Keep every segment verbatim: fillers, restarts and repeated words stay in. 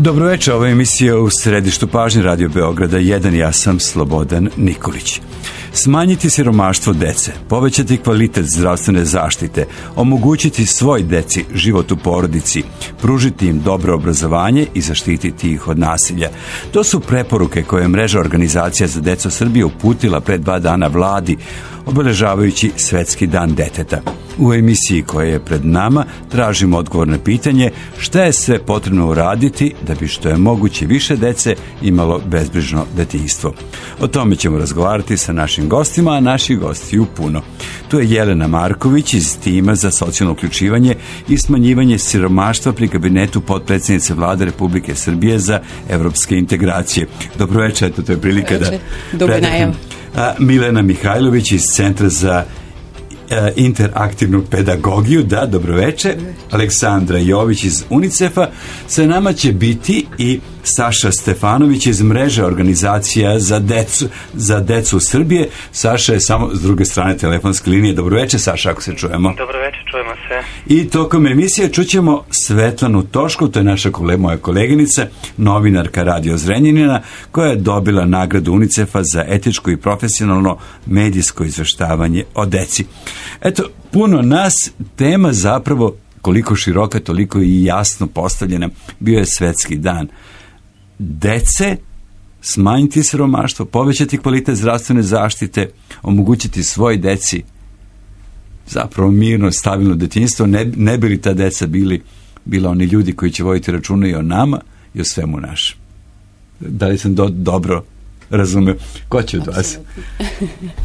Dobroveče, ova emisija u središtu pažnje Radio Beograda jedan, ja sam Slobodan Nikolić. Smanjiti siromaštvo dece, povećati kvalitet zdravstvene zaštite, omogućiti svoj deci život u porodici, pružiti im dobro obrazovanje i zaštititi ih od nasilja. To su preporuke koje je mreža Organizacija za decu Srbije uputila pre dva dana vladi, obeležavajući Svetski dan deteta. U emisiji koja je pred nama tražimo odgovor na pitanje šta je sve potrebno uraditi da bi što je moguće više dece imalo bezbrižno detinjstvo. O tome ćemo razgovarati sa našim gostima, a naših gostiju puno. Tu je Jelena Marković iz tima za socijalno uključivanje i smanjivanje siromaštva pri kabinetu potpredsjednice Vlade Republike Srbije za evropske integracije. Dobroveče, eto to je prilika da predam. Milena Mihajlović iz Centra za interaktivnu pedagogiju, da, dobroveče. Aleksandra Jović iz UNICEF-a. Sa nama će biti i Saša Stefanović iz mreže Organizacija za decu, za decu Srbije. Saša je samo s druge strane telefonske linije. Dobroveče, Saša, ako se čujemo. Dobroveče, čujemo se. I tokom emisije čućemo Svetlanu Toškov, to je naša kole, moja koleginica, novinarka Radio Zrenjanina, koja je dobila nagradu UNICEF-a za etičko i profesionalno medijsko izveštavanje o deci. Eto, puno nas, tema zapravo koliko široka, toliko i jasno postavljena, bio je Svetski dan dece, smanjiti siromaštvo, povećati kvalitet zdravstvene zaštite, omogućiti svoj deci zapravo mirno, stabilno detinjstvo, ne, ne bi li ta deca bili, bila oni ljudi koji će voditi računa i o nama i o svemu našem. Da li sam do, dobro razumeo? Ko će od vas?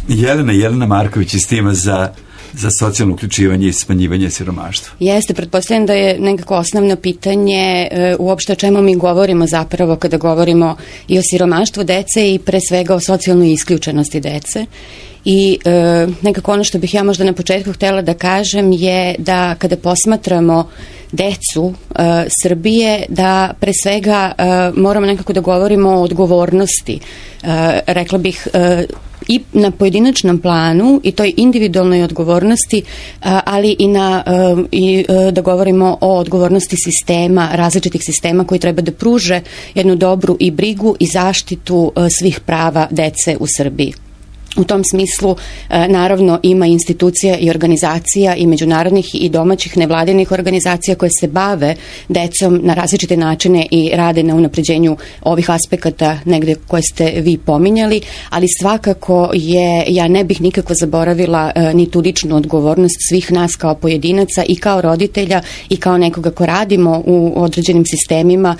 Jelena, Jelena Marković iz tima za za socijalno uključivanje i smanjivanje siromaštva. Jeste, pretpostavljam da je nekako osnovno pitanje e, uopšte o čemu mi govorimo zapravo kada govorimo i o siromaštvu dece i pre svega o socijalnoj isključenosti dece. I e, nekako ono što bih ja možda na početku htjela da kažem je da kada posmatramo decu e, Srbije, da pre svega e, moramo nekako da govorimo o odgovornosti. E, rekla bih e, i na pojedinačnom planu i toj individualnoj odgovornosti, ali i, na, i da govorimo o odgovornosti sistema, različitih sistema koji treba da pruže jednu dobru i brigu i zaštitu svih prava dece u Srbiji. U tom smislu, naravno, ima institucija i organizacija i međunarodnih i domaćih nevladinih organizacija koje se bave decom na različite načine i rade na unapređenju ovih aspekata negde koje ste vi pominjali, ali svakako je, ja ne bih nikako zaboravila ni tu ličnu odgovornost svih nas kao pojedinaca i kao roditelja i kao nekoga ko radimo u određenim sistemima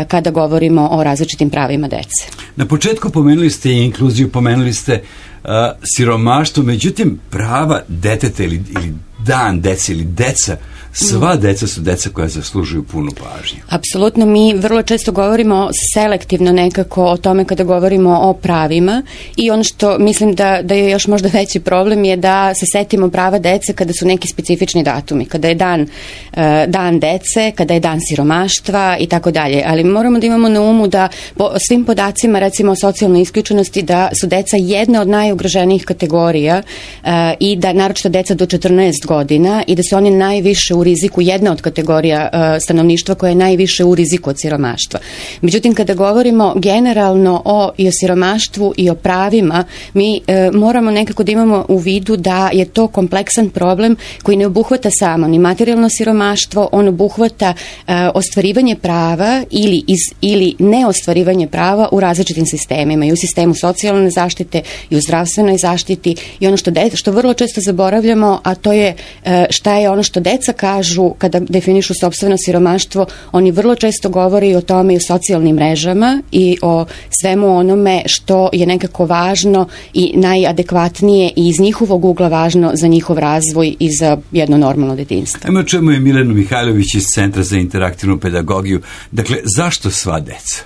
kada govorimo o različitim pravima dece. Na početku pomenuli ste i inkluziju, pomenuli ste Uh, siromaštvo, međutim prava deteta ili, ili dan dece ili deca, sva deca su deca koja zaslužuju punu pažnju. Apsolutno, mi vrlo često govorimo selektivno nekako o tome kada govorimo o pravima i ono što mislim da, da je još možda veći problem je da se setimo prava dece kada su neki specifični datumi, kada je dan, uh, dan dece, kada je dan siromaštva i tako dalje, ali moramo da imamo na umu da po svim podacima, recimo o socijalnoj isključenosti, da su deca jedna od najugroženijih kategorija uh, i da naročito deca do četrnaest godina i da su oni najviše u riziku, jedna od kategorija uh, stanovništva koja je najviše u riziku od siromaštva. Međutim, kada govorimo generalno o, i o siromaštvu i o pravima, mi uh, moramo nekako da imamo u vidu da je to kompleksan problem koji ne obuhvata samo ni materijalno siromaštvo, on obuhvata uh, ostvarivanje prava ili, iz, ili neostvarivanje prava u različitim sistemima, i u sistemu socijalne zaštite i u zdravstvenoj zaštiti, i ono što, de, što vrlo često zaboravljamo, a to je uh, šta je ono što deca kažu kada definišu sopstveno siromaštvo. Oni vrlo često govore i o tome i o socijalnim mrežama i o svemu onome što je nekako važno i najadekvatnije i iz njihovog ugla važno za njihov razvoj i za jedno normalno detinjstvo. Ajmo čemu je Milenu Mihajlović iz Centra za interaktivnu pedagogiju. Dakle, zašto sva deca?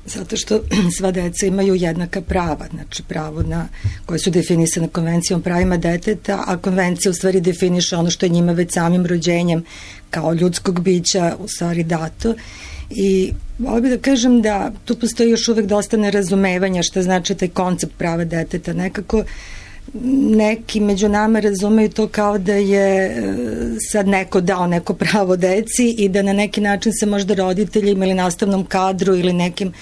Zato što sva deca imaju jednaka prava, znači pravo na, koje su definisane konvencijom pravima deteta, a konvencija u stvari definiše ono što je njima već samim rođenjem kao ljudskog bića u stvari dato. I volim bi da kažem da tu postoji još uvek dosta nerazumevanja šta znači taj koncept prava deteta. Nekako neki među nama razumeju to kao da je sad neko dao neko pravo deci i da na neki način se možda roditeljima ili nastavnom kadru ili nekim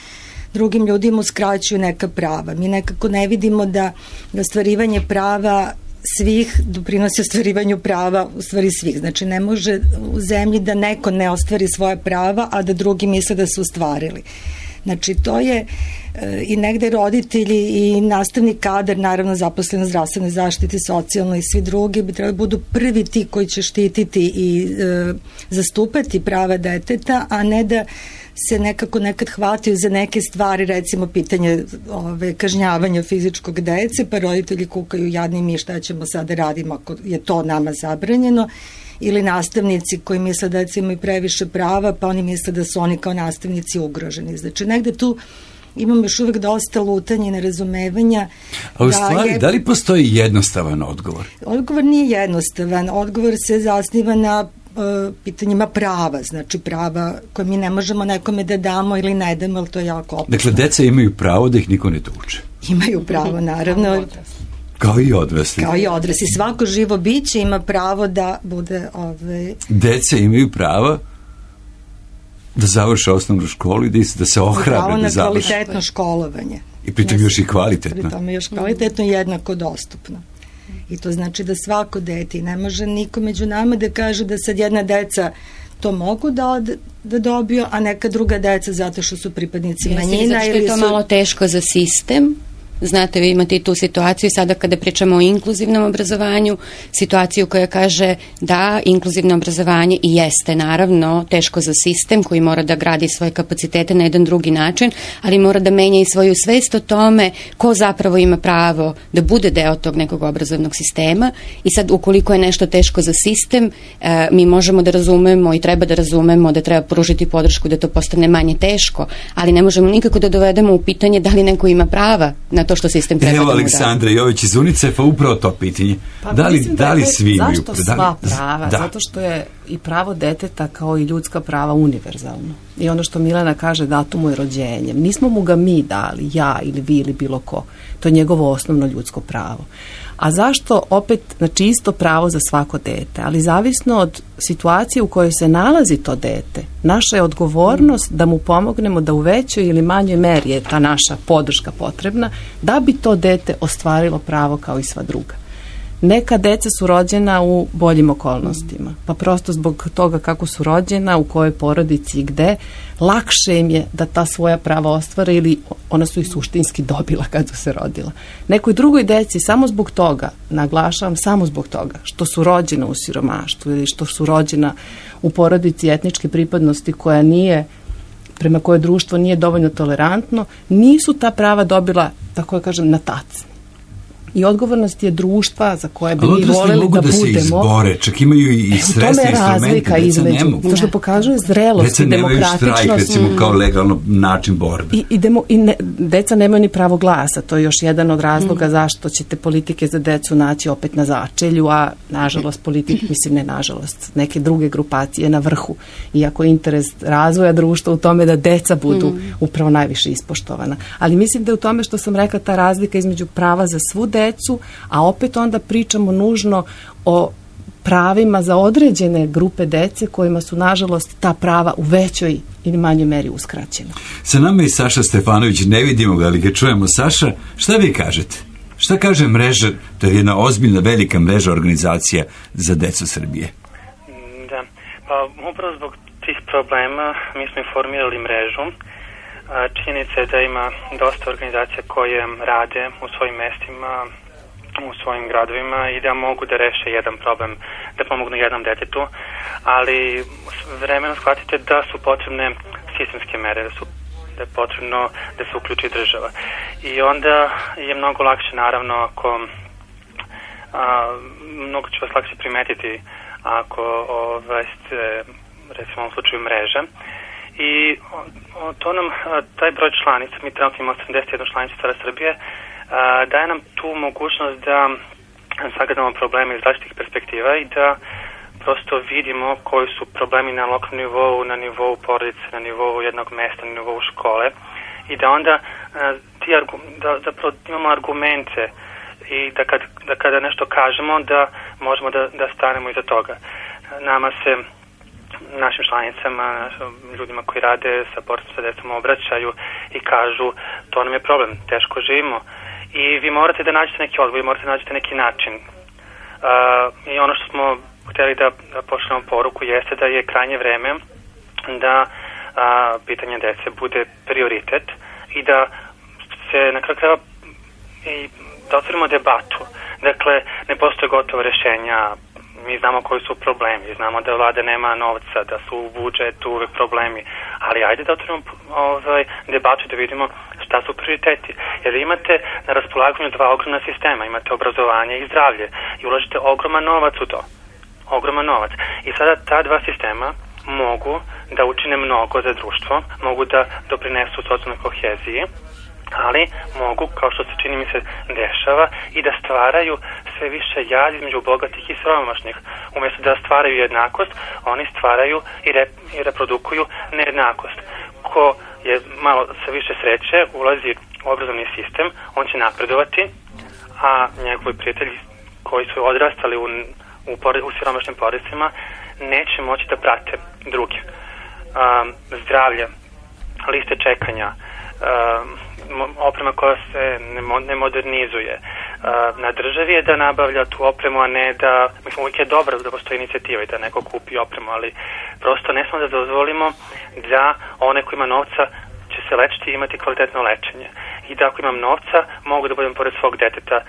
drugim ljudima uskraćuju neka prava. Mi nekako ne vidimo da ostvarivanje prava svih doprinosi ostvarivanju prava u stvari svih. Znači ne može u zemlji da neko ne ostvari svoje prava, a da drugi misle da su ostvarili. Znači to je e, i negde roditelji i nastavni kadar, naravno zaposleni u zdravstvenoj zaštiti, socijalno i svi drugi bi trebali budu prvi ti koji će štititi i e, zastupati prava deteta, a ne da se nekako nekad hvataju za neke stvari, recimo pitanje ove, kažnjavanja fizičkog dece, pa roditelji kukaju jadni mi šta ćemo sada radimo ako je to nama zabranjeno, ili nastavnici koji misle da deca imaju previše prava, pa oni misle da su oni kao nastavnici ugroženi. Znači negde tu imamo još uvek dosta lutanja i nerazumevanja. A u stvari, da, je, da li postoji jednostavan odgovor? Odgovor nije jednostavan. Odgovor se zasniva na uh, pitanjima prava, znači prava koje mi ne možemo nekome da damo ili ne damo, ali to je jako opasno. Dakle, deca imaju pravo da ih niko ne tuče. Imaju pravo, naravno. Kao i odrasli. Kao i odrasli. Svako živo biće ima pravo da bude... Ove... Deca imaju pravo da završe osnovnu školu i da, da se ohrabre da završe. Pravo na kvalitetno školovanje. I pritom još i kvalitetno. Pritom još kvalitetno i jednako dostupno. I to znači da svako dete, ne može niko među nama da kaže da sad jedna deca to mogu da, od, da dobiju, a neka druga deca zato što su pripadnici manjina. Zato što je to su... malo teško za sistem. Znate, vi imate i tu situaciju sada kada pričamo o inkluzivnom obrazovanju, situaciju koja kaže da inkluzivno obrazovanje i jeste naravno teško za sistem koji mora da gradi svoje kapacitete na jedan drugi način, ali mora da menja i svoju svest o tome ko zapravo ima pravo da bude deo tog nekog obrazovnog sistema i sad ukoliko je nešto teško za sistem, e, mi možemo da razumemo i treba da razumemo da treba pružiti podršku da to postane manje teško, ali ne možemo nikako da dovedemo u pitanje da li neko ima prava na to što sistem treba Evo da mu da. Aleksandra Jović iz UNICEF-a upravo to pitanje. Pa, da li, da da li svi imaju? Zašto sva prava? Da. Zato što je i pravo deteta kao i ljudska prava univerzalno. I ono što Milena kaže, dato mu je rođenjem. Nismo mu ga mi dali, ja ili vi ili bilo ko. To je njegovo osnovno ljudsko pravo. A zašto opet, znači isto pravo za svako dete, ali zavisno od situacije u kojoj se nalazi to dete, naša je odgovornost da mu pomognemo da u većoj ili manjoj meri je ta naša podrška potrebna da bi to dete ostvarilo pravo kao i sva druga. Neka deca su rođena u boljim okolnostima, pa prosto zbog toga kako su rođena, u kojoj porodici i gde, lakše im je da ta svoja prava ostvare ili ona su ih suštinski dobila kad su se rodila. Nekoj drugoj deci samo zbog toga, naglašavam samo zbog toga, što su rođena u siromaštvu ili što su rođena u porodici etničke pripadnosti koja nije, prema kojoj društvo nije dovoljno tolerantno, nisu ta prava dobila, tako ja kažem, na tac. I odgovornost je društva za koje bi mi voleli da budemo. Da se izbore, čak imaju i sredstva, instrumente, deca ne mogu. To što pokazuje zrelost i demokratičnost. Deca nemaju štrajk, recimo, kao legalno način borbe. I, i, demo, i ne, deca nemaju ni pravo glasa, to je još jedan od razloga mm. zašto ćete politike za decu naći opet na začelju, a nažalost politik, mislim ne nažalost, neke druge grupacije na vrhu. Iako je interes razvoja društva u tome da deca budu mm. upravo najviše ispoštovana. Ali mislim da je u tome što sam rekla ta razlika između prava za svu decu, decu, a opet onda pričamo nužno o pravima za određene grupe dece kojima su nažalost ta prava u većoj ili manjoj meri uskraćena. Sa nama je Saša Stefanović, ne vidimo ga, ali ga čujemo. Saša, šta vi kažete? Šta kaže mreža, to je jedna ozbiljna velika mreža organizacija za decu Srbije? Da, pa upravo zbog tih problema mi smo formirali mrežu. Činjenica je da ima dosta organizacija koje rade u svojim mestima, u svojim gradovima i da mogu da reše jedan problem, da pomognu jednom detetu, ali vremenom shvatite da su potrebne sistemske mere, da su da je potrebno da se uključi država. I onda je mnogo lakše, naravno, ako a, mnogo će vas lakše primetiti ako ovaj, ste, recimo u slučaju mreže. I o, to nam, taj broj članica, mi trenutno imamo sedamdeset jedna članica Stara Srbije, a, daje nam tu mogućnost da sagledamo probleme iz različitih perspektiva i da prosto vidimo koji su problemi na lokalnom nivou, na nivou porodice, na nivou jednog mesta, na nivou škole i da onda a, ti argu, da, zapravo imamo argumente i da, kad, da kada nešto kažemo da možemo da, da stanemo iza toga. Nama se, našim članicama, ljudima koji rade sa porodicom sa decom obraćaju i kažu to nam je problem, teško živimo i vi morate da nađete neki odgovor, vi morate da nađete neki način. Uh, I ono što smo hteli da, da pošljemo poruku jeste da je krajnje vreme da a, pitanje dece bude prioritet i da se na kraju krajeva i da otvorimo debatu. Dakle, ne postoje gotova rešenja, mi znamo koji su problemi, znamo da vlada nema novca, da su u budžetu uvek problemi, ali ajde da otvorimo ovaj, debatu da vidimo šta su prioriteti. Jer imate na raspolaganju dva ogromna sistema, imate obrazovanje i zdravlje i ulažete ogroman novac u to. Ogroman novac. I sada ta dva sistema mogu da učine mnogo za društvo, mogu da doprinesu socijalnoj koheziji, ali mogu, kao što se čini mi se dešava, i da stvaraju sve više jaz između bogatih i siromašnih. Umjesto da stvaraju jednakost, oni stvaraju i, re, i reprodukuju nejednakost. Ko je malo sa više sreće, ulazi u obrazovni sistem, on će napredovati, a njegovi prijatelji koji su odrastali u U, u siromašnim porodicama neće moći da prate druge. Um, zdravlje, liste čekanja, um, oprema koja se ne, mo, ne modernizuje. Uh, na državi je da nabavlja tu opremu, a ne da, mislim, uvijek je dobro da postoji inicijativa i da neko kupi opremu, ali prosto ne smo da dozvolimo da one koji ima novca će se lečiti i imati kvalitetno lečenje. I da ako imam novca, mogu da budem pored svog deteta uh,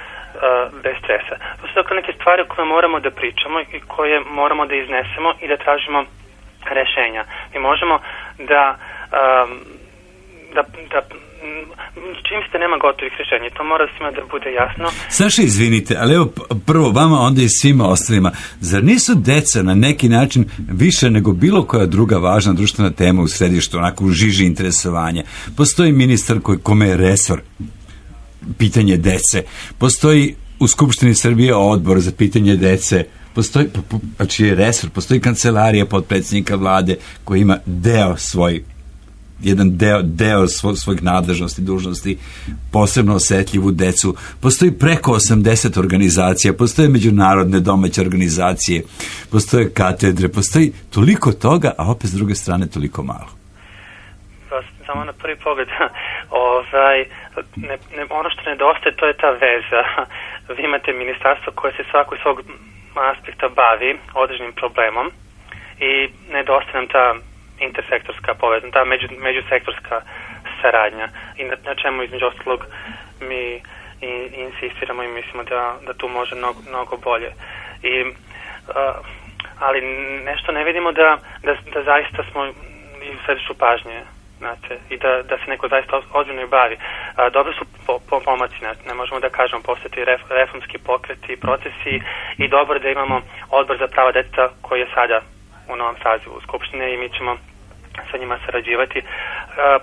bez stresa. To su dakle neke stvari o koje moramo da pričamo i koje moramo da iznesemo i da tražimo rešenja. Mi možemo da, um, da, da čim se nema gotovih rešenja, to mora svima da bude jasno. Saša, izvinite, ali evo prvo vama, onda i svima ostalima, zar nisu deca na neki način više nego bilo koja druga važna društvena tema u središtu, onako u žiži interesovanja? Postoji ministar koji, kome je resor pitanje dece, postoji u Skupštini Srbije odbor za pitanje dece, postoji, pa čiji je resor, postoji kancelarija potpredsjednika vlade koji ima deo svoj jedan deo, deo svo, svojih nadležnosti, dužnosti, posebno osetljivu decu. Postoji preko osamdeset organizacija, postoje međunarodne domaće organizacije, postoje katedre, postoji toliko toga, a opet s druge strane toliko malo. Samo na prvi pogled, ovaj, ne, ne, ono što nedostaje, to je ta veza. Vi imate ministarstvo koje se svako iz svog aspekta bavi određenim problemom i nedostaje nam ta intersektorska povezana, ta među, međusektorska saradnja i na, na čemu između ostalog mi i, insistiramo i mislimo da, da tu može mnogo, mnogo bolje. I, uh, ali nešto ne vidimo da, da, da zaista smo i u središtu pažnje, znate, i da, da se neko zaista ozbiljno i bavi. Uh, dobro su po, po, pomaci, ne, ne možemo da kažemo, postoje ref, reformski pokreti i procesi i dobro da imamo odbor za prava deteta koji je sada u novom sazivu Skupštine i mi ćemo sa njima sarađivati. Uh,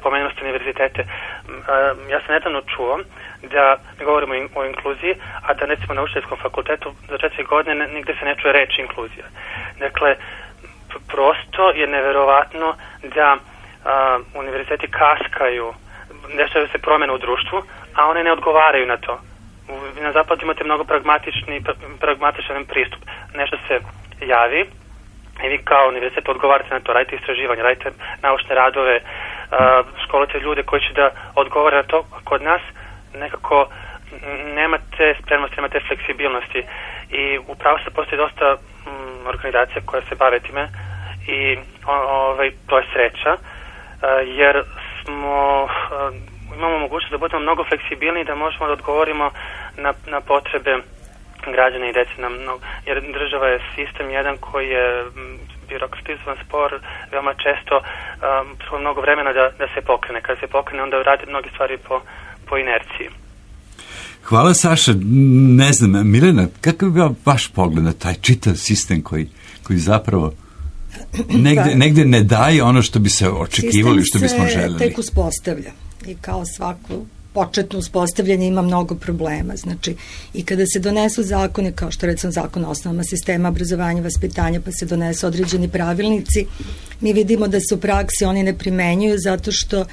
pomenuli ste univerzitete. Uh, ja sam nedavno čuo da ne govorimo o inkluziji, a da recimo na učiteljskom fakultetu za četiri godine ne, nigde se ne čuje reč inkluzija. Dakle, prosto je neverovatno da uh, univerziteti kaskaju, dešavaju se promjene u društvu, a one ne odgovaraju na to. Na zapadu imate mnogo pragmatični, pragmatičan pristup. Nešto se javi, i vi kao univerzitet odgovarate na to, radite istraživanje, radite naučne radove, školite ljude koji će da odgovore na to. Kod nas nekako nemate spremnosti, nemate fleksibilnosti i upravo se postoji dosta m, organizacija koje se bave time i o, ovaj, to je sreća jer smo, imamo mogućnost da budemo mnogo fleksibilni i da možemo da odgovorimo na, na potrebe građana i dece, nam, no, jer država je sistem jedan koji je birokratizovan, spor, veoma često um, mnogo vremena da, da se pokrene. Kada se pokrene, onda radi mnogi stvari po, po inerciji. Hvala, Saša. Ne znam, Milena, kakav bi bio vaš pogled na taj čitav sistem koji, koji zapravo negde, negde ne daje ono što bi se očekivali, što bismo želeli? Sistem se tek uspostavlja i kao svako početno uspostavljanje ima mnogo problema. Znači, i kada se donesu zakone, kao što recimo zakon o osnovama sistema obrazovanja, vaspitanja, pa se donesu određeni pravilnici, mi vidimo da se u praksi oni ne primenjuju zato što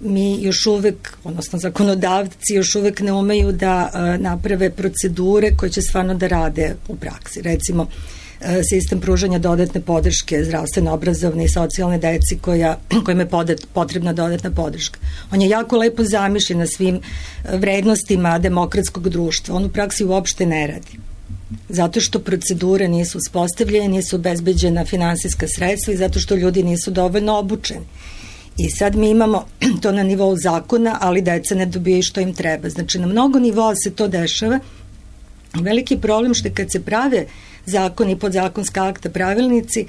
mi još uvek, odnosno zakonodavci još uvek ne umeju da naprave procedure koje će stvarno da rade u praksi. Recimo, sistem pružanja dodatne podrške zdravstveno obrazovne i socijalne deci koja, kojima je potrebna dodatna podrška. On je jako lepo zamišljen na svim vrednostima demokratskog društva. On u praksi uopšte ne radi. Zato što procedure nisu uspostavljene, nisu obezbeđena finansijska sredstva i zato što ljudi nisu dovoljno obučeni. I sad mi imamo to na nivou zakona, ali deca ne dobijaju što im treba. Znači, na mnogo nivoa se to dešava. Veliki problem što kad se prave zakoni, podzakonska akta, pravilnici,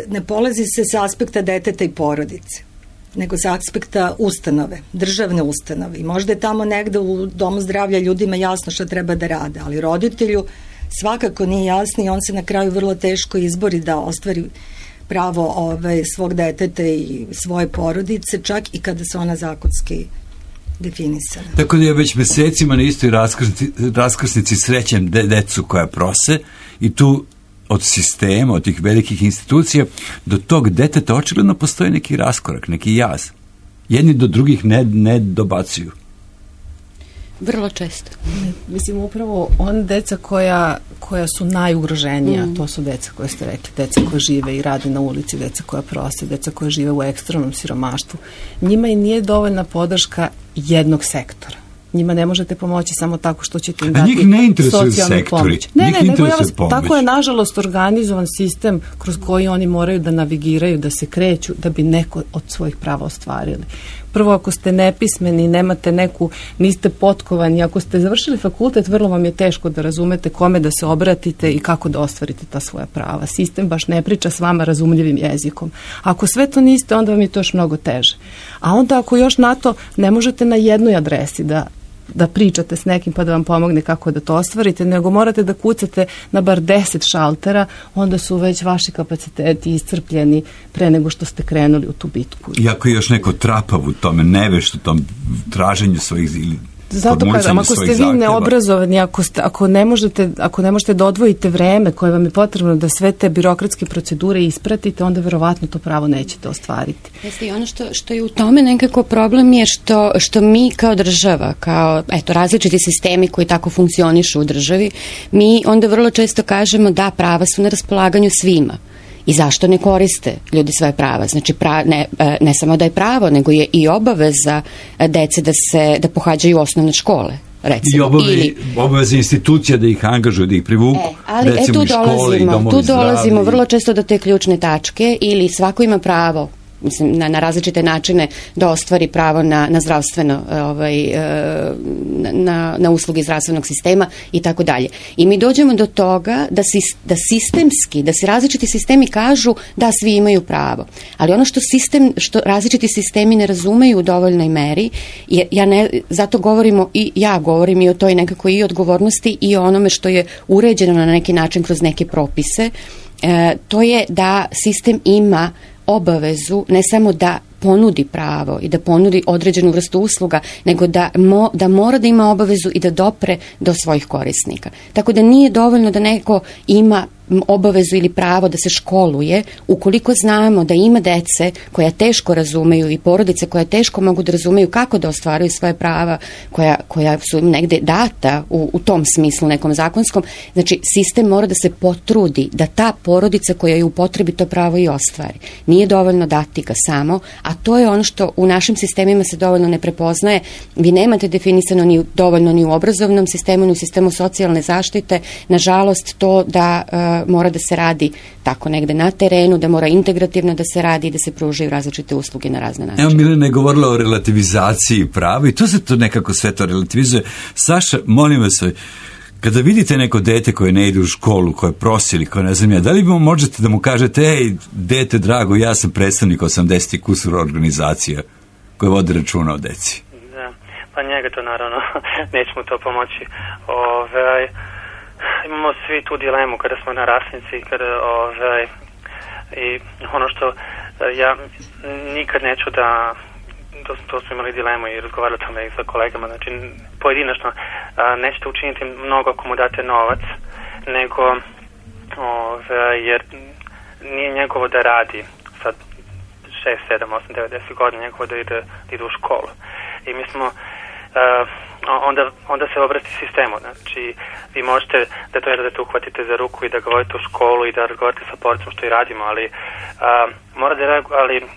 ne polazi se sa aspekta deteta i porodice, nego sa aspekta ustanove, državne ustanove. I možda je tamo negde u domu zdravlja ljudima jasno šta treba da rade, ali roditelju svakako nije jasno i on se na kraju vrlo teško izbori da ostvari pravo ove, svog deteta i svoje porodice, čak i kada se ona zakonski definisana. Tako da ja već mesecima na istoj raskrsnici, raskrsnici srećem de, decu koja prose i tu od sistema, od tih velikih institucija do tog deteta očigledno postoji neki raskorak, neki jaz. Jedni do drugih ne, ne dobacuju. Vrlo često. Mislim, upravo on deca koja, koja su najugroženija, mm. to su deca koje ste rekli, deca koja žive i rade na ulici, deca koja prose, deca koja žive u ekstremnom siromaštvu. Njima i nije dovoljna podrška jednog sektora. Njima ne možete pomoći samo tako što ćete im dati socijalnu pomoć. Ne, ne, nego ja vas, tako je nažalost organizovan sistem kroz koji oni moraju da navigiraju, da se kreću, da bi neko od svojih prava ostvarili. Prvo, ako ste nepismeni, nemate neku, niste potkovani, ako ste završili fakultet, vrlo vam je teško da razumete kome da se obratite i kako da ostvarite ta svoja prava. Sistem baš ne priča s vama razumljivim jezikom. Ako sve to niste, onda vam je to još mnogo teže. A onda ako još na to ne možete na jednoj adresi da da pričate s nekim pa da vam pomogne kako da to ostvarite, nego morate da kucate na bar deset šaltera, onda su već vaši kapaciteti iscrpljeni pre nego što ste krenuli u tu bitku. Iako je još neko trapav u tome, nevešt u tom traženju svojih ili zato kažem, ako ste vi neobrazovani, ako, ste, ako, ne možete, ako ne možete da odvojite vreme koje vam je potrebno da sve te birokratske procedure ispratite, onda verovatno to pravo nećete ostvariti. Jeste, i ono što, što je u tome nekako problem je što, što mi kao država, kao eto, različiti sistemi koji tako funkcionišu u državi, mi onda vrlo često kažemo da prava su na raspolaganju svima. I zašto ne koriste ljudi svoje prava? Znači, pra, ne, ne samo da je pravo, nego je i obaveza dece da se da pohađaju osnovne škole. Recimo. I obave, Ili, obaveze institucija da ih angažuju, da ih privuku, e, ali, recimo e, tu i škole i domovi tu dolazimo zdravlja. vrlo često do te ključne tačke, ili svako ima pravo, mislim, na, na različite načine da ostvari pravo na, na zdravstveno, ovaj, na, na usluge zdravstvenog sistema i tako dalje. I mi dođemo do toga da, si, da sistemski, da se različiti sistemi kažu da svi imaju pravo. Ali ono što sistem, što različiti sistemi ne razumeju u dovoljnoj meri, je, ja ne, zato govorimo i ja govorim i o toj nekako i odgovornosti i o onome što je uređeno na neki način kroz neke propise, e, to je da sistem ima obavezu ne samo da ponudi pravo i da ponudi određenu vrstu usluga, nego da, mo, da mora da ima obavezu i da dopre do svojih korisnika. Tako da nije dovoljno da neko ima obavezu ili pravo da se školuje, ukoliko znamo da ima dece koja teško razumeju i porodice koja teško mogu da razumeju kako da ostvaruju svoje prava, koja, koja su im negde data u, u tom smislu nekom zakonskom. Znači, sistem mora da se potrudi da ta porodica koja je u potrebi to pravo i ostvari. Nije dovoljno dati ga samo, a to je ono što u našim sistemima se dovoljno ne prepoznaje. Vi nemate definisano ni dovoljno ni u obrazovnom sistemu, ni u sistemu socijalne zaštite. Nažalost, to da uh, mora da se radi tako negde na terenu, da mora integrativno da se radi i da se pružaju različite usluge na razne načine. Evo, Milena je govorila o relativizaciji prava i to se to nekako sve to relativizuje. Saša, molim vas, kada vidite neko dete koje ne ide u školu, koje prosi ili koje ne znam ja, da li možete da mu kažete, ej, dete drago, ja sam predstavnik osamdeset kusur organizacija koje vode računa o deci? Da, pa njega to naravno nećemo to pomoći. Ove, imamo svi tu dilemu kada smo na rasnici, kada, ove, i ono što ja nikad neću da, to, to smo imali dilemu i razgovarali o tome i sa kolegama, znači pojedinačno a, nećete učiniti mnogo ako mu date novac, nego ove, jer nije njegovo da radi. Sad šest, sedam, osam, devet, deset godina njegovo da ide, da ide u školu. I mi smo uh, onda, onda se obrati sistemu, znači vi možete da to da te uhvatite za ruku i da ga vodite u školu i da razgovarate sa porodicom što i radimo, ali uh, mora da reaguje, ali uh,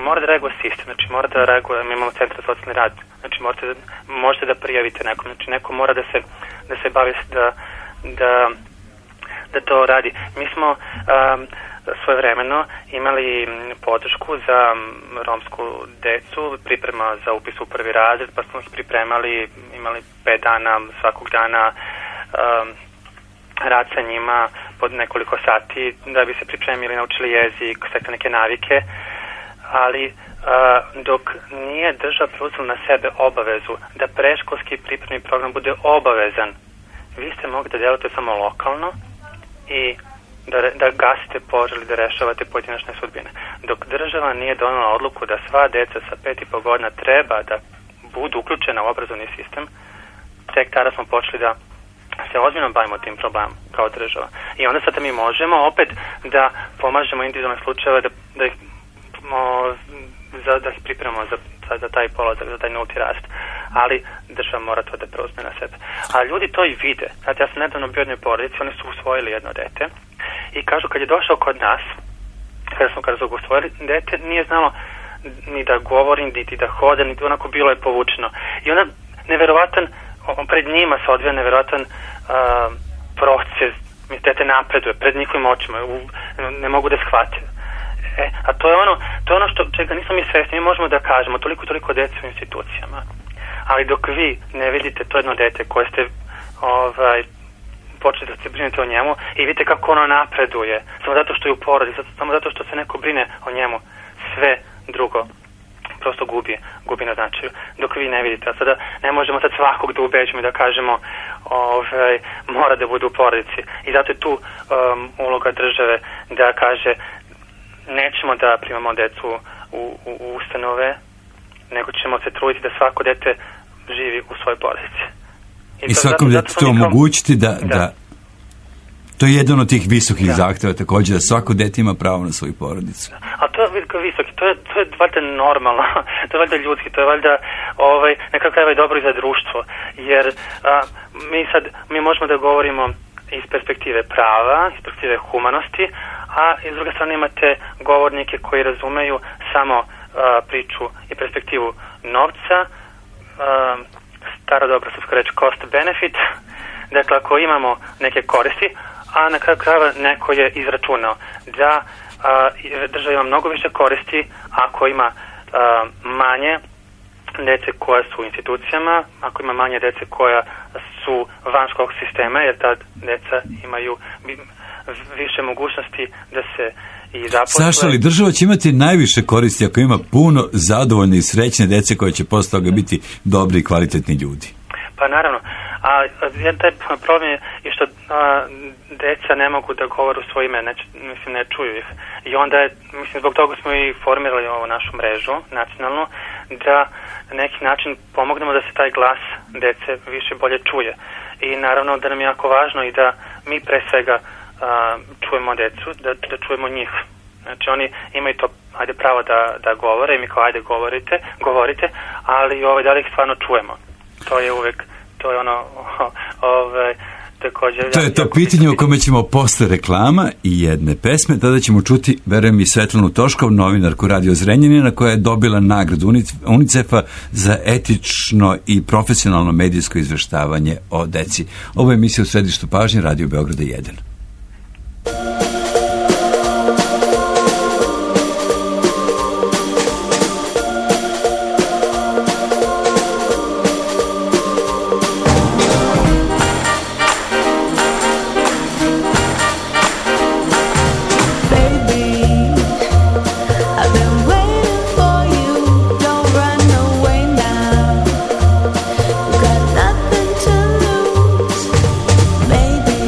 mora da reaguje sistem, znači mora da reaguje, mi imamo centar za socijalni rad, znači možete da, možete da prijavite nekom, znači neko mora da se, da se bavi da, da, da to radi. Mi smo um, svojevremeno imali podršku za romsku decu, priprema za upis u prvi razred, pa smo ih pripremali, imali pet dana, svakog dana um, rad sa njima pod nekoliko sati da bi se pripremili, naučili jezik, stekli neke navike, ali uh, dok nije država preuzela na sebe obavezu da predškolski pripremni program bude obavezan, vi ste mogli da delujete samo lokalno i Da, da gasite požar ili da rešavate pojedinačne sudbine. Dok država nije donela odluku da sva deca sa pet i po godina treba da budu uključena u obrazovni sistem, tek tada smo počeli da se ozbiljno bavimo tim problemom kao država. I onda sad mi možemo opet da pomažemo individualne slučajeve, da, da, ih, o, za, da ih pripremamo za, za, za taj polazak, za taj nulti rast. Ali država mora to da preuzme na sebe. A ljudi to i vide. Znate, ja sam nedavno bio u jednoj porodici, oni su usvojili jedno dete i kažu kad je došao kod nas, kada smo kada su ga usvojili, dete nije znalo ni da govori, niti da hode, niti onako bilo je povučeno. I onda neverovatan, pred njima se odvija neverovatan uh, proces, mi dete napreduje, pred njihovim očima, u, ne mogu da shvate. E, a to je ono, to je ono što, čega nismo mi svesni, mi možemo da kažemo toliko i toliko dece u institucijama. Ali dok vi ne vidite to jedno dete koje ste ovaj, počeli da se brinete o njemu i vidite kako ono napreduje, samo zato što je u porodi, samo zato što se neko brine o njemu, sve drugo prosto gubi, gubi na značaju. Dok vi ne vidite, a sada ne možemo sad svakog da ubeđimo i da kažemo ovaj, mora da bude u porodici. I zato je tu um, uloga države da kaže nećemo da primamo decu u, u, u ustanove, nego ćemo se truditi da svako dete živi u svojoj porodici. I, I svakom detetu to omogućiti da, da. da... To je jedan od tih visokih da. zahteva također, da svako dete ima pravo na svoju porodicu. A to je visoki, to je, to je valjda normalno, to je valjda ljudski, to je valjda ovaj, nekako krajeva i dobro i za društvo, jer a, mi sad, mi možemo da govorimo iz perspektive prava, iz perspektive humanosti, a iz druge strane imate govornike koji razumeju samo a, priču i perspektivu novca, a, stara dobra srpska reč cost benefit, dakle ako imamo neke koristi, a na kraju krajeva neko je izračunao da a, država ima mnogo više koristi ako ima a, manje dece koja su u institucijama, ako ima manje dece koja su van školskog sistema, jer ta deca imaju više mogućnosti da se i zaposle. Saša, ali država će imati najviše koristi ako ima puno zadovoljne i srećne dece koje će posle toga biti dobri i kvalitetni ljudi. Pa naravno, a jedan taj problem je i što a, deca ne mogu da govore u svoje ime, ne, mislim ne čuju ih. I onda je, mislim, zbog toga smo i formirali ovu našu mrežu nacionalnu, da na neki način pomognemo da se taj glas dece više bolje čuje. I naravno da nam je jako važno i da mi pre svega a, čujemo decu, da, da čujemo njih. Znači oni imaju to, ajde, pravo da, da govore i mi kao ajde govorite, govorite, ali ovaj, da li ih stvarno čujemo? To je uvek, to je ono, ovaj, također... To je to pitanje o kome ćemo posle reklama i jedne pesme, tada ćemo čuti, verujem, i Svetlanu Toškov, novinarku Radio Zrenjanina, koja je dobila nagradu UNICEF-a za etično i profesionalno medijsko izveštavanje o deci. Ovo je emisija u središtu pažnje Radio Beograda jedan. Got nothing to lose, baby.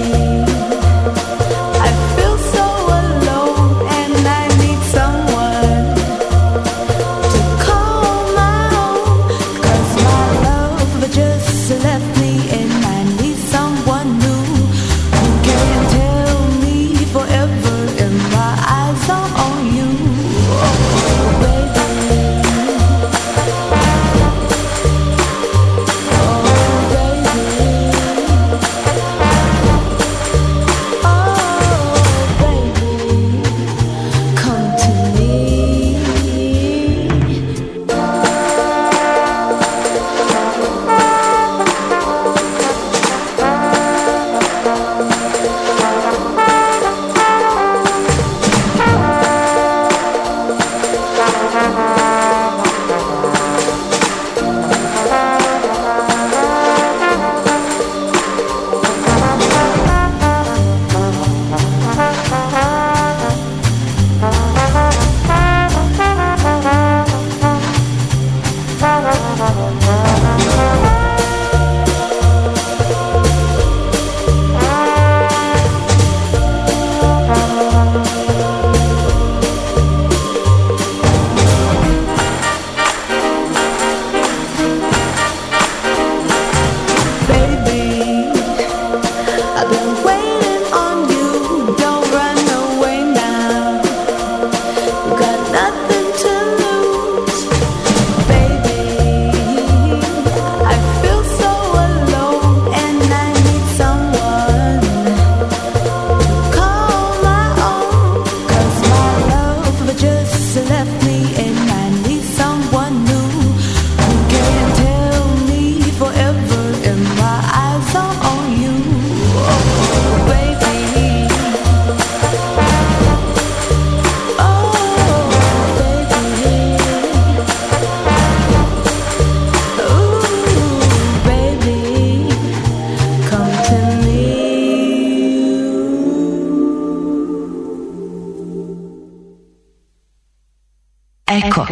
Eko.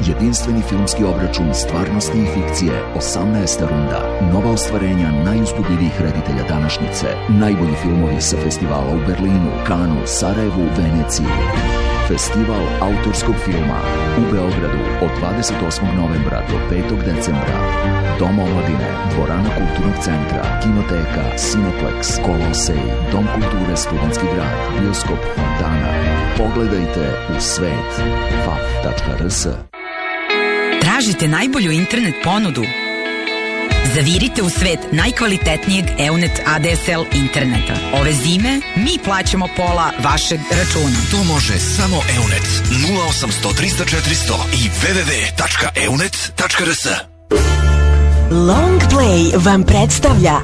Jedinstveni filmski obračun stvarnosti i fikcije, osamnaesta runda. Nova ostvarenja najuzbudljivijih reditelja današnjice. Najbolji filmovi sa festivala u Berlinu, Kanu, Sarajevu, Veneciji. Festival autorskog filma u Beogradu od dvadeset osmog novembra do petog decembra. Dom omladine, dvorana kulturnog centra, kinoteka, Cineplex, Kolosej, Dom kulture Studentski grad, bioskop Fontana. Pogledajte u svet. f a f tačka r s. Tražite najbolju internet ponudu? Zavirite u svet najkvalitetnijeg Eunet A D S L interneta. Ove zime mi plaćamo pola vašeg računa. To može samo Eunet. nula osamsto trista četiristo i w w w tačka eunet tačka r s. Long Play vam predstavlja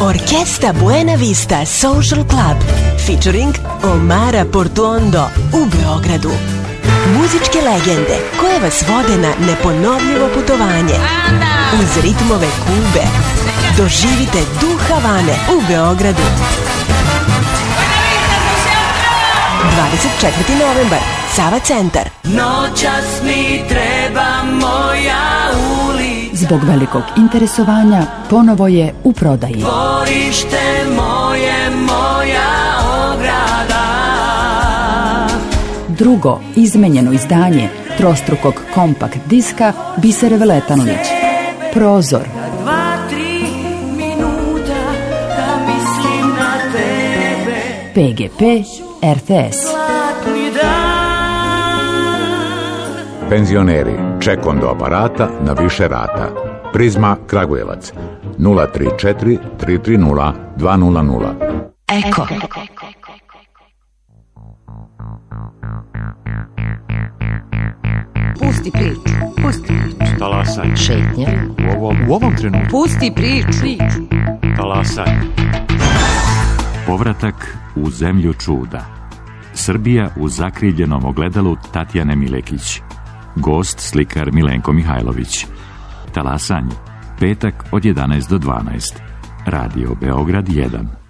Orkesta Buena Vista Social Club featuring Omara Portuondo u Beogradu. Muzičke legende koje vas vode na neponovljivo putovanje uz ritmove Kube. Doživite duh Havane u Beogradu. dvadeset četvrti novembar, Sava centar. Noćas mi treba moja ulica. Zbog velikog interesovanja ponovo je u prodaji. Dvorište moje, moja ograda. Drugo izmenjeno izdanje trostrukog kompakt diska Bisere Veletanović. Prozor. Dva, tri minuta da mislim na tebe. P G P R T S. Penzioneri, ček do aparata na više rata. Prizma Kragujevac nula tri četiri tri tri nula dva nula nula. Eko. Pusti priču, pusti priču. Talasaj. Šetnja. U ovom, u ovom trenutku. Pusti priču. Talasaj. Povratak u zemlju čuda. Srbija u zakriljenom ogledalu Tatjane Milekić. Gost slikar Milenko Mihajlović. Talasanje. Petak od jedanaest do dvanaest. Radio Beograd jedan.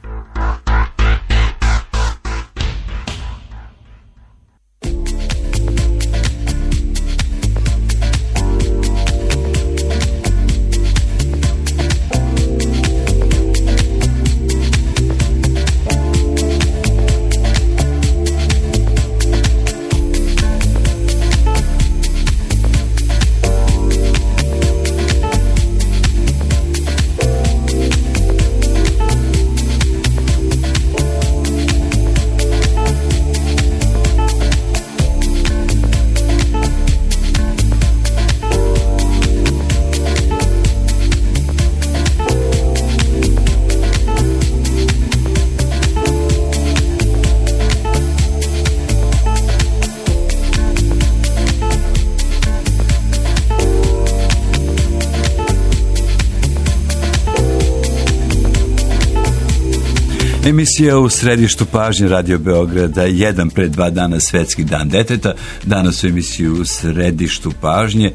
Emisija u središtu pažnje Radio Beograda, jedan pred dva dana Svetski dan deteta. Danas u emisiju u središtu pažnje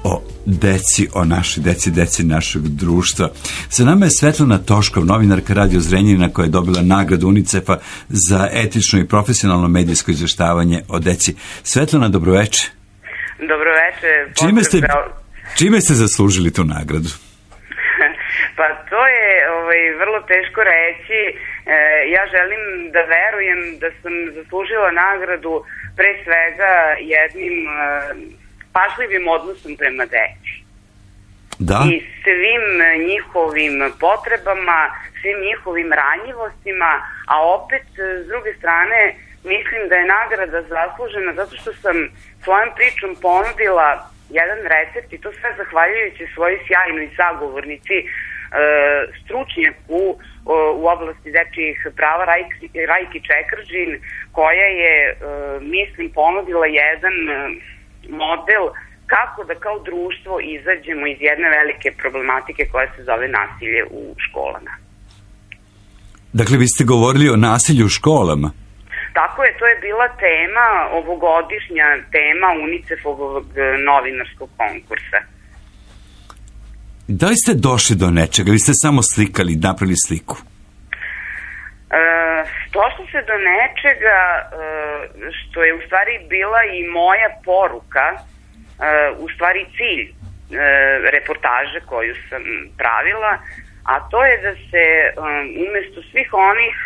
o deci, o našoj deci, deci našeg društva. Sa nama je Svetlana Toškov, novinarka Radio Zrenjanina, koja je dobila nagradu UNICEF-a za etično i profesionalno medijsko izveštavanje o deci. Svetlana, dobroveče. Dobroveče. Čime ste, čime ste zaslužili tu nagradu? Pa to je ovaj, vrlo teško reći. E, ja želim da verujem da sam zaslužila nagradu pre svega jednim e, pažljivim odnosom prema deci. Da. I svim njihovim potrebama, svim njihovim ranjivostima, a opet s druge strane mislim da je nagrada zaslužena zato što sam svojom pričom ponudila jedan recept i to sve zahvaljujući svojoj sjajnoj sagovornici, stručnjaku u oblasti dečjih prava Rajki, Rajki Čekržin, koja je, mislim, ponudila jedan model kako da kao društvo izađemo iz jedne velike problematike koja se zove nasilje u školama. Dakle, vi ste govorili o nasilju u školama? Tako je, to je bila tema, ovogodišnja tema UNICEF-ovog novinarskog konkursa. Da li ste došli do nečega ili ste samo slikali, napravili sliku? E, Došlo se do nečega što je u stvari bila i moja poruka, u stvari cilj reportaže koju sam pravila, a to je da se umesto svih onih